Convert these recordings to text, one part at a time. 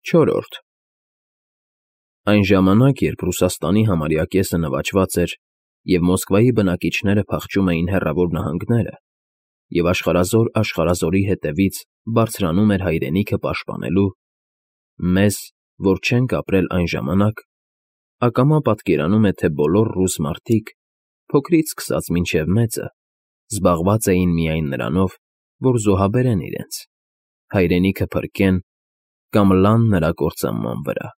Չորրորդ Այն ժամանակ, երբ Ռուսաստանի համարյա կեսը նվաճված էր և Մոսկվայի բնակիչները փախչում էին հեռավոր նահանգները, և աշխարհազոր աշխարհազորի հետևից բարձրանում էր հայրենիքը պաշտպանելու, մեզ, որ չենք ապրել այն ժամանակ, ակամա պատկերանում է, թե բոլոր ռուս մարդիկ, փոքրից սկսած մինչև մեծը, զբաղված էին միայն նրանով, որ զոհաբերեն իրենց, հայրենիքը փրկեն կամ լան նրա կործանման վրա։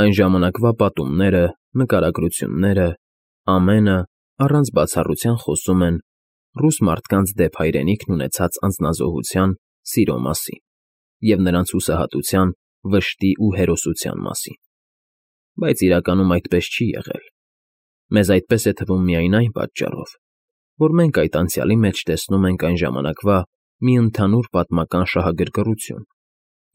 Այն ժամանակվա պատումները, նկարագրությունները, ամենը առանց բացառության խոսում են ռուս մարդկանց դեպ հայրենիքն ունեցած անձնազոհության, սիրո մասին և նրանց հուսահատության, վշտի ու հերոսության մասին։ Բայց իրականում այդպես չի եղել։ Մեզ այդպես է թվում միայն այն պատճառով, որ մենք այդ անցյալի մեջ տեսնում ենք այն ժամանակվա մի ընդհանուր պատմական շահագրգռություն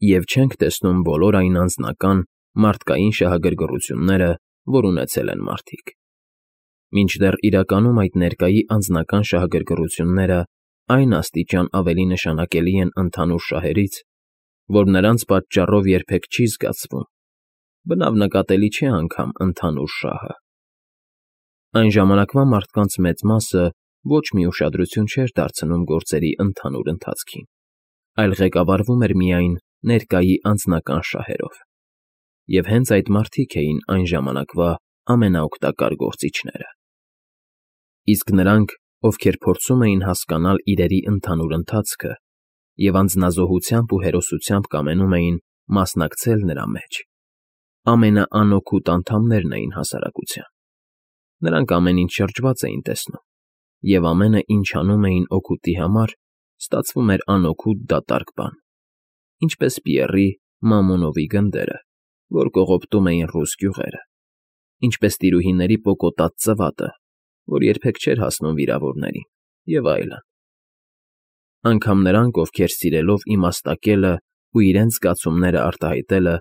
և չենք տեսնում բոլոր այն անձնական, մարդկային շահագրգռությունները, որ ունեցել են մարդիկ։ Մինչդեռ իրականում այդ ներկայի անձնական շահագրգռությունները այն աստիճան ավելի նշանակելի են ընդհանուր շահերից, որ նրանց պատճառով երբեք չի զգացվում, բնավ նկատելի չէ անգամ ընդհանուր շահը։ Այն ժամանակվա մարդկանց մեծ մասը ոչ մի ուշադրություն չէր դարձնում գործերի ընդհանուր ընթացքին, այլ ղեկավարվում էր միայն ներկայի անձնական շահերով։ Եվ հենց այդ մարդիկ էին այն ժամանակվա ամենաօգտակար գործիչները։ Իսկ նրանք, ովքեր փորձում էին հասկանալ իրերի ընդհանուր ընթացքը և անձնազոհությամբ ու հերոսությամբ կամենում էին մասնակցել նրա մեջ, ամենաանօգուտ անդամներն էին հասարակության։ Նրանք ամեն ինչ շրջված էին տեսնում, և ամենը, ինչ անում էին օգուտի համար, ստացվում էր անօգուտ դատարկ բան, ինչպես Պիեռի Մամոնովի գնդերը, որ կողոպտում էին ռուս գյուղերը, ինչպես տիրուհիների պոկոտած ծվատը, որ երբեք չէր հասնում վիրավորներին, և այլն։ Անգամ նրանք, ովքեր սիրելով իմաստակելն ու իրենց զգացումները արտահայտելը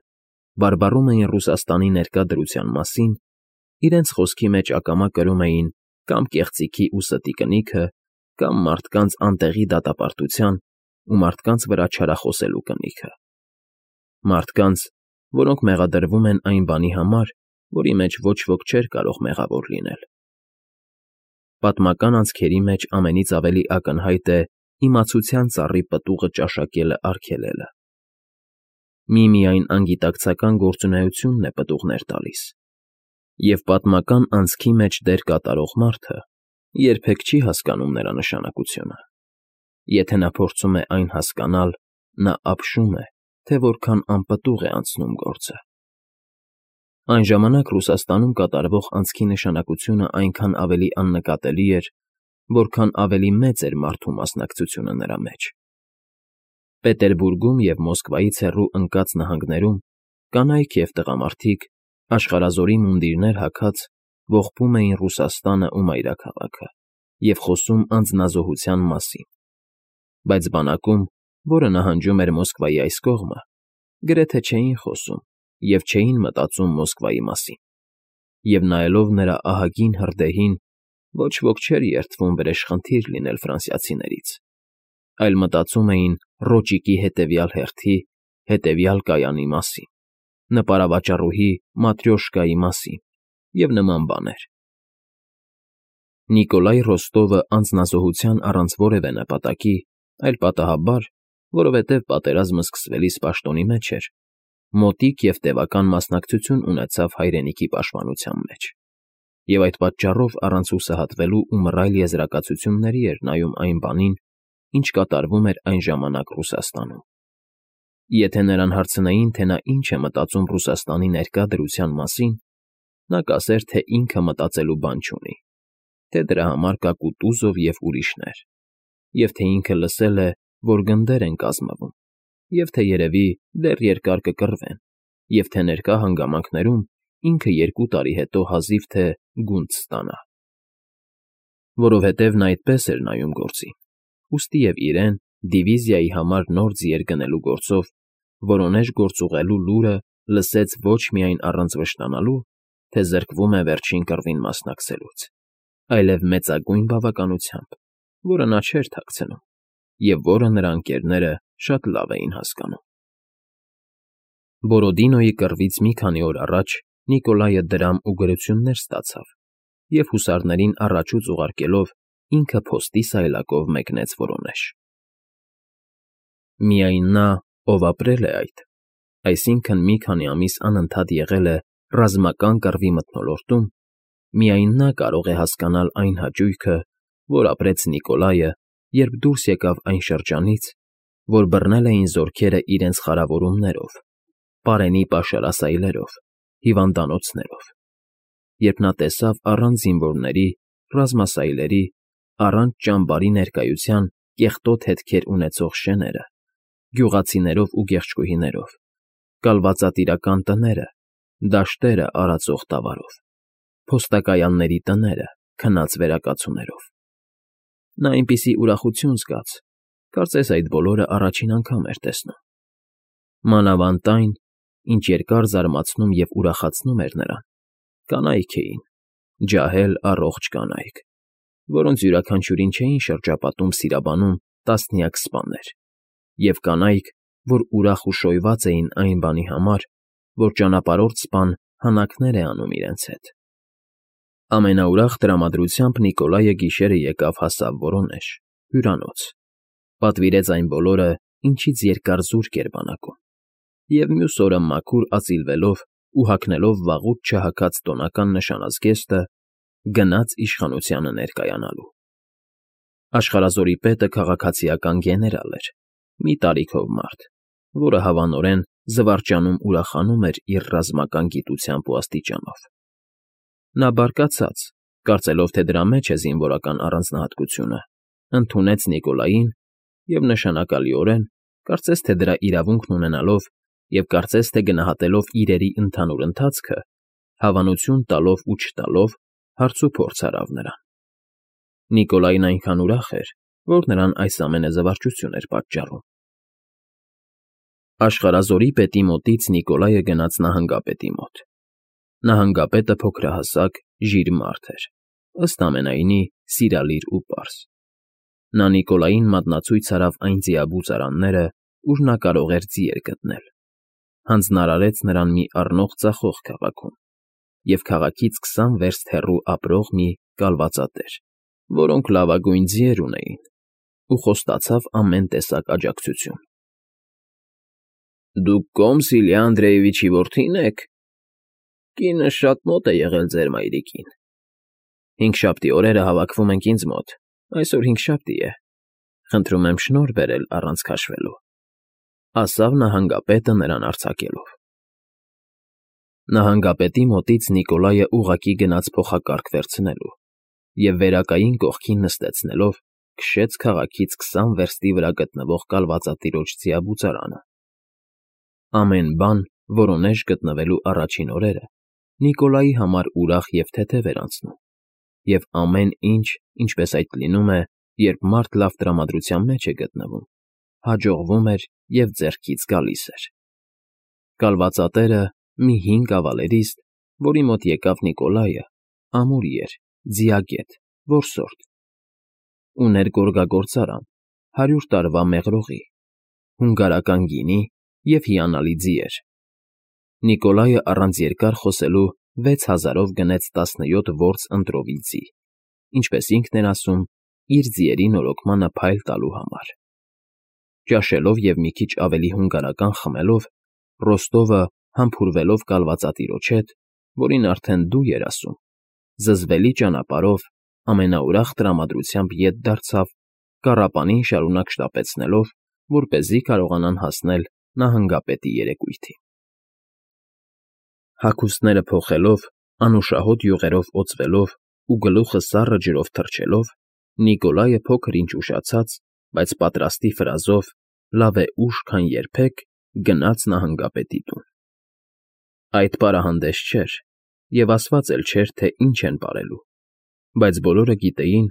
բարբառում էին Ռուսաստանի ներկա դրության մասին, իրենց խոսքի մեջ ակամա կրում էին կամ կեղծիքի ու ստի կնիքը, կամ մարդկանց անտեղի դատապարտության ու մարդկանց վրա չարախոսելու կնիքը։ Մարդկանց, որոնք մեղադրվում են այն բանի համար, որի մեջ ոչ ոք չէր կարող մեղավոր լինել։ Պատմական անցքերի մեջ ամենից ավելի ակնհայտ է իմացության ծառի պտուղը ճաշակելը արգելելը։ Միմիայն անգիտակցական գործունեությունն է պտուղներ տալիս, և պատմական անցքի մեջ դեր կատարող մարդը երբեք չի հասկանում նրա նշանակությունը։ Եթե նա փորձում է այն հասկանալ, նա ապշում է, թե որքան անպտուղ է անցնում գործը։ Այն ժամանակ Ռուսաստանում կատարվող անցքի նշանակությունը այնքան ավելի աննկատելի էր, որքան ավելի մեծ էր մարդու մասնակցությունը նրա մեջ։ Պետերբուրգում և Մոսկվայից հեռու ընկած նահանգներում կանայք և տղամարդիկ, աշխարհազորի մունդիրներ հագած, ողբում էին Ռուսաստանը ու մայրաքաղաքը և խոսում անձնազոհության մասին, բայց բանակում, որը նահանջում էր Մոսկվայի այս կողմը, գրեթե չէին խոսում և չէին մտածում Մոսկվայի մասին, և նայելով նրա ահագին հրդեհին, ոչ ոք չէր երդվում վրեժխնդիր լինել ֆրանսիացիներից, այլ մտածում էին Ռոճիկի հետևյալ հերթի, հետևյալ կայանի մասին, նպարավաճառուհի Маտրյոշկայի մասին և նման բաներ։ Նիկոլայ Ռոստովը անձնազոհության առանց որևէ նպատակի, այլ պատահաբար, որովհետև պատերազմը սկսվելիս պաշտոնի մեջ էր, մոտիկ և տևական մասնակցություն ունեցավ հայրենիքի պաշտպանության մեջ, և այդ պատճառով առանց հուսահատվելու ու մռայլ եզրակացությունների էր նայում այն բանին, ինչ կատարվում էր այն ժամանակ Ռուսաստանում։ Եթե նրան հարցնեին, թե նա ինչ է մտածում Ռուսաստանի ներկա դրության մասին, նա կասեր, թե ինքը մտածելու բան չունի, թե դրա համար կա Կուտուզով և ուրիշներ, և թե ինքը լսել է, որ գնդեր են կազմվում, և թե երևի դեռ երկար կկռվեն, և թե ներկա հանգամանքներում ինքը 2 տարի հետո հազիվ թե գունդ ստանա։ Որովհետև նա այդպես էր նայում գործին, ուստի և իրեն դիվիզիայի համար նոր ձիեր գնելու գործով որոնեժ գործուղելու լուրը լսեց ոչ միայն առանց վշտանալու, թե զրկվում է վերջին կռվին մասնակցելուց, այլև մեծագույն բավականությամբ, որը նա չէր թաքցնում և որը նրա ընկերները շատ լավ էին հասկանում։ Բորոդինոյի կռվից մի քանի օր առաջ Նիկոլայը դրամ ու գրություններ ստացավ և հուսարներին առաջուց ուղարկելով ինքը փոստի սայլակով մեկնեց Վորոնեժ։ Միայն նա, ով ապրել է այդ, այսինքն մի քանի ամիս անընդհատ եղել է ռազմական կռվի մթնոլորտում, միայն նա կարող է հասկանալ այն հաճույքը, որ ապրեց Նիկոլայը, երբ դուրս եկավ այն շրջանից, որ բռնել էին զորքերը իրենց խարավորումներով, պարենի պաշարասայլերով, հիվանդանոցներով, երբ նա տեսավ առանց զինվորների, ռազմասայլերի, առանց ճամբարի ներկայության կեղտոտ հետքեր ունեցող շեները, գյուղացիներով ու գեղչկուհիներով, կալվածատիրական տները, դաշտերը արածող տավարով, փոստակայանների տները քնած վերակացուներով։ Նա այնպիսի ուրախություն զգաց, կարծես այդ բոլորը առաջին անգամ էր տեսնում։ Մանավանդ այն, ինչ երկար զարմացնում և ուրախացնում էր նրան, կանայք էին, ջահել առողջ կանայք, որոնց յուրաքանչյուրին չէին շրջապատում սիրաբանում տասնյակ սպաներ, և կանայք, որ ուրախ ու շոյված էին այն բանի համար, որ ճանապարհորդ սպան հանակներ է անում իրենց հետ։ Ամենաուրախ տրամադրությամբ Նիկոլայը գիշերը եկավ հասավ Վորոնեժ, հյուրանոց, պատվիրեց այն բոլորը, ինչից երկար զուրկ էր բանակում, և մյուս օրը մաքուր ածիլվելով ու հագնելով վաղուց չհագած տոնական նշանազգեստը, գնաց իշխանությանը ներկայանալու։ Աշխարհազորի պետը քաղաքացիական գեներալ էր, մի տարիքով մարդ, որը հավանորեն զվարճանում ուրախանում էր իր ռազմական գիտությամբ ու աստիճանով։ Նա բարկացած, կարծելով, թե դրա մեջ է զինվորական առանձնահատկությունը, ընդունեց Նիկոլային և նշանակալիորեն, կարծես թե դրա իրավունքն ունենալով և կարծես թե գնահատելով իրերի ընդհանուր ընթացքը, հավանություն տալով ու չտալով, հարցուփորձ արավ նրան։ Նիկոլայն այնքան ուրախ էր, որ նրան այս ամենը զվարճություն էր պատճառում։ Աշխարհազորի պետի մոտից Նիկոլայը գնաց նահանգապետի մոտ։ Նահանգապետը փոքրահասակ, ժիր մարդ էր, ըստ ամենայնի սիրալիր ու պարզ։ Նա Նիկոլային մատնացույց արավ այն ձիաբուծ արանները, ուր նա կարող էր ձիեր գտնել, հանձնարարեց նրան մի առնող ձախող քաղաքում և քաղաքից 20 վերստ հեռու ապրող մի կալվածատեր, որոնք լավագույն ձիեր ունեին, ու խոստացավ ամեն տեսակ աջակցություն։ ֊ Դուք Կոմսիլյա Անդրեևիչի որդի՞ն եք։ Կինս շատ մոտ է եղել ձեր մայրիկին։ Հինգշաբթի օրերը հավաքվում ենք ինձ մոտ, այսօր հինգշաբթի է, խնդրում եմ շնորհ բերել առանց քաշվելու, ֊ ասավ նահանգապետը նրան արձակելով։ Նահանգապետի մոտից Նիկոլայը ուղղակի գնաց փոխակարգ վերցնելու և վերակային կողքին նստեցնելով, քշեց քաղաքից 20 վերստի վրա գտնվող կալվածատիրոջ ձիաբուծարանը։ Ամեն բան Վորոնեժ գտնվելու առաջին օրերը Նիկոլայի համար ուրախ և թեթև էր անցնում, և ամեն ինչ, ինչպես այդ լինում է, երբ մարդ լավ տրամադրության մեջ է գտնվում, հաջողվում էր և ձեռքից գալիս էր։ Կալվածատերը, մի հին կավալերիստ, որի մոտ եկավ Նիկոլայը, ամուր էր, ձիագետ, որսորդ, ուներ գորգագործարան, 100 տարվա մեղրողի, հունգարական գինի և հիանալի ձիեր։ Նիկոլայը առանց երկար խոսելու 6000-ով գնեց 17 որս ընտրովի ձի, ինչպես ինքն էր ասում, իր ձիերի նորոգմանը փայլ տալու համար։ Ճաշելով և մի քիչ ավելի հունգարական խմելով, Ռոստովը, համբուրվելով կալվածատիրոջ հետ, որին արդեն դու էր ասում, զզվելի ճանապարհով ամենաուրախ տրամադրությամբ ետ դարձավ, կառապանին շարունակ շտապեցնելով, որպեսզի կարողանան հասնել նահանգապետի երեկույթին։ Հագուստները փոխելով, անուշահոտ յուղերով օծվելով ու գլուխը սառը ջրով թռչելով, Նիկոլայը փոքր֊ինչ ուշացած, բայց պատրաստի ֆրազով, լավ է ուշ, քան երբեք, գնաց նահանգապետի տուն։ Այդ պարահանդես չէր, և ասված էլ չէր, թե ինչ են պարելու, բայց բոլորը գիտեին,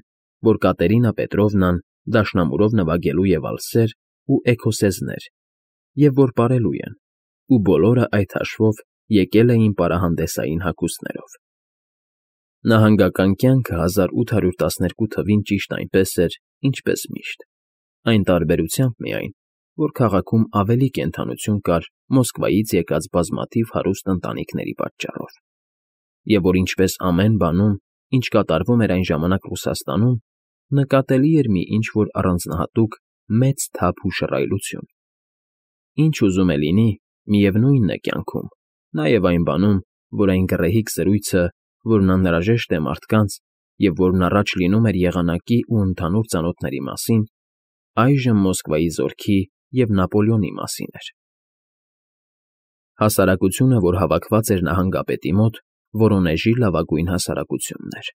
որ Կատերինա Պետրովնան դաշնամուրով նվագելու է վալսեր ու էքոսեզներ, և որ պարելու են, ու բոլորը այդ հաշվով եկել էին պարահանդեսային հագուստներով։ Նահանգական կյանքը 1812 թվին ճիշտ այնպես էր, ինչպես միշտ, այն տարբերությամբ միայն, որ քաղաքում ավելի կենդանություն կար Մոսկվայից եկած բազմաթիվ հարուստ ընտանիքների պատճառով, և որ ինչպես ամեն բանում, ինչ կատարվում էր այն ժամանակ Ռուսաստանում, նկատելի էր մի ինչ֊որ առանձնահատուկ մեծ թափ ու շռայլություն։ Ինչ ուզում է լինի, միևնույնն է կյանքում, նաև այն բանում, որ այն գռեհիկ զրույցը, որն անհրաժեշտ է մարդկանց և որն առաջ լինում էր եղանակի ու ընդհանուր ծանոթների մասին, այժմ Մոսկվայի զորքի և Նապոլեոնի մասին էր։ Հասարակությունը, որ հավաքված էր նահանգապետի մոտ, Վորոնեժի լավագույն հասարակությունն էր։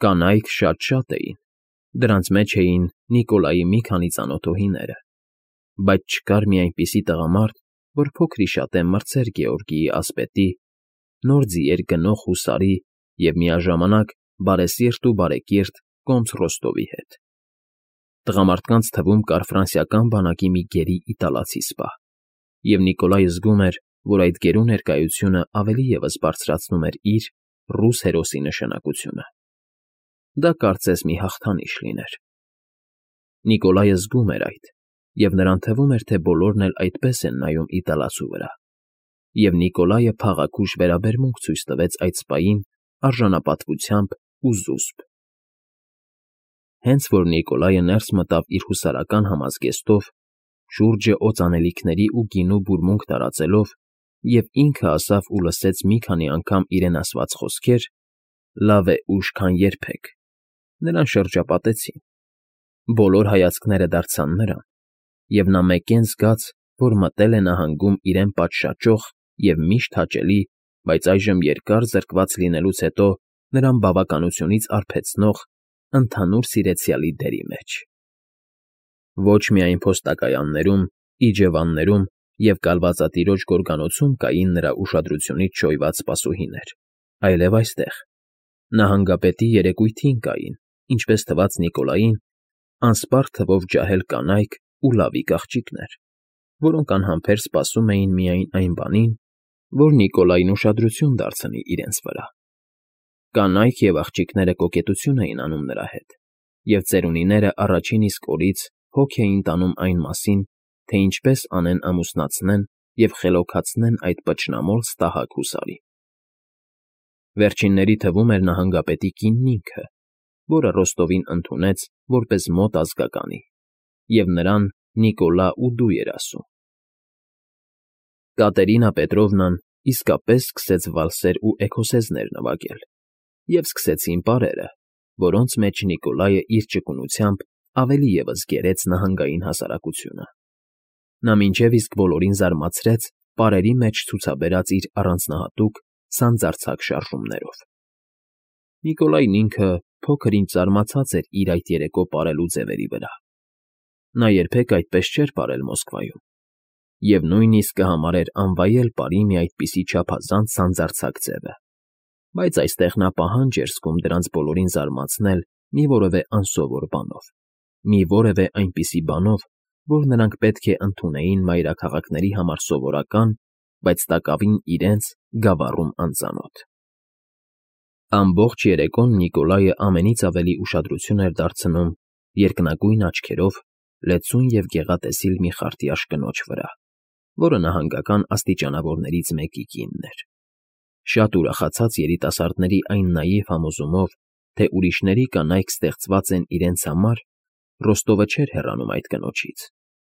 Կանայք շատ էին, դրանց մեջ էին Նիկոլայի մի քանի ծանոթուհիները, բայց չկար մի այնպիսի տղամարդ, որ փոքր-ի-շատե մրցեր Գեորգիի ասպետի, նոր ձիեր գնող հուսարի և միաժամանակ բարեսիրտ ու բարեկիրթ կոմս Ռոստովի հետ։ Տղամարդկանց թվում կար ֆրանսիական բանակի մի գերի իտալացի սպա, և Նիկոլայը զգում էր, որ այդ գերու ներկայությունը ավելի ևս բարձրացնում էր իր՝ ռուս հերոսի նշանակությունը։ Դա կարծես մի հաղթանիշ լիներ։ Նիկոլայը զգում էր այդ, և նրան թվում էր, թե բոլորն էլ այդպես են նայում իտալացու վրա, և Նիկոլայը փաղաքուշ վերաբերմունք ցույց տվեց այդ սպային արժանապատվությամբ ու զուսպ։ Հենց որ Նիկոլայը ներս մտավ իր հուսարական համազգեստով, շուրջը օծանելիքների ու գինու բուրմունք տարածելով, և ինքը ասավ ու լսեց մի քանի անգամ իրեն ասված խոսքեր. «Լավ է ուշ, քան երբեք», նրան շրջապատեցին։ Բոլոր հայացքները դարձան նրան, և նա մեկեն զգաց, որ մտել է նահանգում իրեն պատշաճող և միշտ հաճելի, բայց այժմ երկար զրկված լինելուց հետո նրան բավականությունից արբեցնող ընդհանուր սիրեցյալի դերի մեջ։ Ոչ միայն փոստակայաններում, իջևաններում և կալվածատիրոջ գորգանոցում կային նրա ուշադրությունից շոյված սպասուհիներ, այլև այստեղ, նահանգապետի երեկույթին կային, ինչպես թվաց Նիկոլային, անսպառ թվով ջահել կանայք ու լավիկ աղջիկներ, որոնք անհամբեր սպասում էին միայն այն բանին, որ Նիկոլային ուշադրություն դարձնի իրենց վրա։ Կանայք և աղջիկները կոկետություն էին անում նրա հետ, և ծերունիները առաջին իսկ օրից հոգ էին տանում այն մասին, թե ինչպես անեն ամուսնացնեն և խելոքացնեն այդ պճնամոլ ստահակ հուսարին։ Վերջինների թվում էր նահանգապետի կինն ինքը, որը Ռոստովին ընդունեց որպես մոտ ազգականի, և նրան Նիկոլա ու դու էր ասում։ Կատերինա Պետրովնան իսկապես սկսեց վալսեր ու էքոսեզներ նվագել, և սկսեցին պարերը, որոնց մեջ Նիկոլայը իր ճկունությամբ ավելի ևս գերեց նահանգային հասարակությունը։ Նա մինչև իսկ բոլորին զարմացրեց պարերի մեջ ցուցաբերած իր առանձնահատուկ սանձարձակ շարժումներով։ Նիկոլայն ինքը փոքր֊ինչ զարմացած էր իր այդ երեկո պարելու ձևերի վրա։ Նա երբեք այդպես չէր պարել Մոսկվայում, և նույնիսկ կհամարեր անվայել պարի մի այդպիսի չափազանց սանձարձակ ձևը, բայց այստեղ նա պահանջ էր զգում դրանց բոլորին զարմացնել մի որևէ անսովոր բանով, մի որևէ այնպիսի բանով, որ նրանք պետք է ընդունեին մայրաքաղաքների համար սովորական, բայց տակավին իրենց գավառում անծանոթ։ Ամբողջ երեկոն Նիկոլայը ամենից ավելի ուշադրություն էր դարձնում երկնագույն աչքերով լեցուն և գեղատեսիլ մի խարտյաշ կնոջ վրա, որը նահանգական աստիճանավորներից մեկի կինն էր։ Շատ ուրախացած երիտասարդների այն նաիվ համոզումով, թե ուրիշների կանայք ստեղծված են իրենց համար, Ռոստովը չէր հեռանում այդ կնոջից,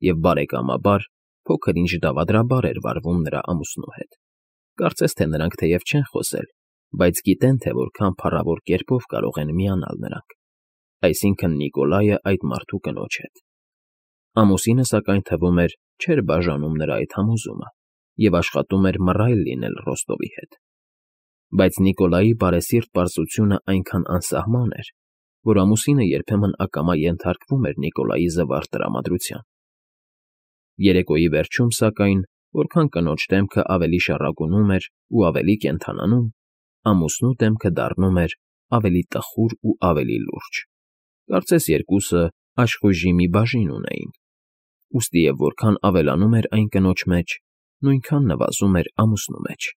և բարեկամաբար, փոքր-ինչ դավադրաբար էր վարվում նրա ամուսնու հետ։ Կարծես թե նրանք թեև չեն խոսել, բայց գիտեն, թե որքան փառավոր կերպով կարող են միանալ նրանք, այսինքն Նիկոլայը այդ մարդու կնոջ հետ։ Ամուսինը, սակայն, թվում էր, չէր բաժանում նրա այդ համոզումը և աշխատում էր մռայլ լինել Ռոստովի հետ։ Բայց Նիկոլայի բարեսիրտ պարզությունը այնքան անսահման էր, որ ամուսինը երբեմն ակամա ենթարկվում էր Նիկոլայի զվարթ տրամադրության։ Երեկոյի վերջում, սակայն, որքան կնոջ դեմքը ավելի շառագունում էր ու ավելի կենդանանում, ամուսնու դեմքը դառնում էր ավելի տխուր ու ավելի լուրջ։ Կարծես երկուսը աշխույժի մի բաժին ունեին, ուստի և որքան ավելանում էր այն կնոջ մեջ, նույնքան նվազում էր ամուսնու մեջ։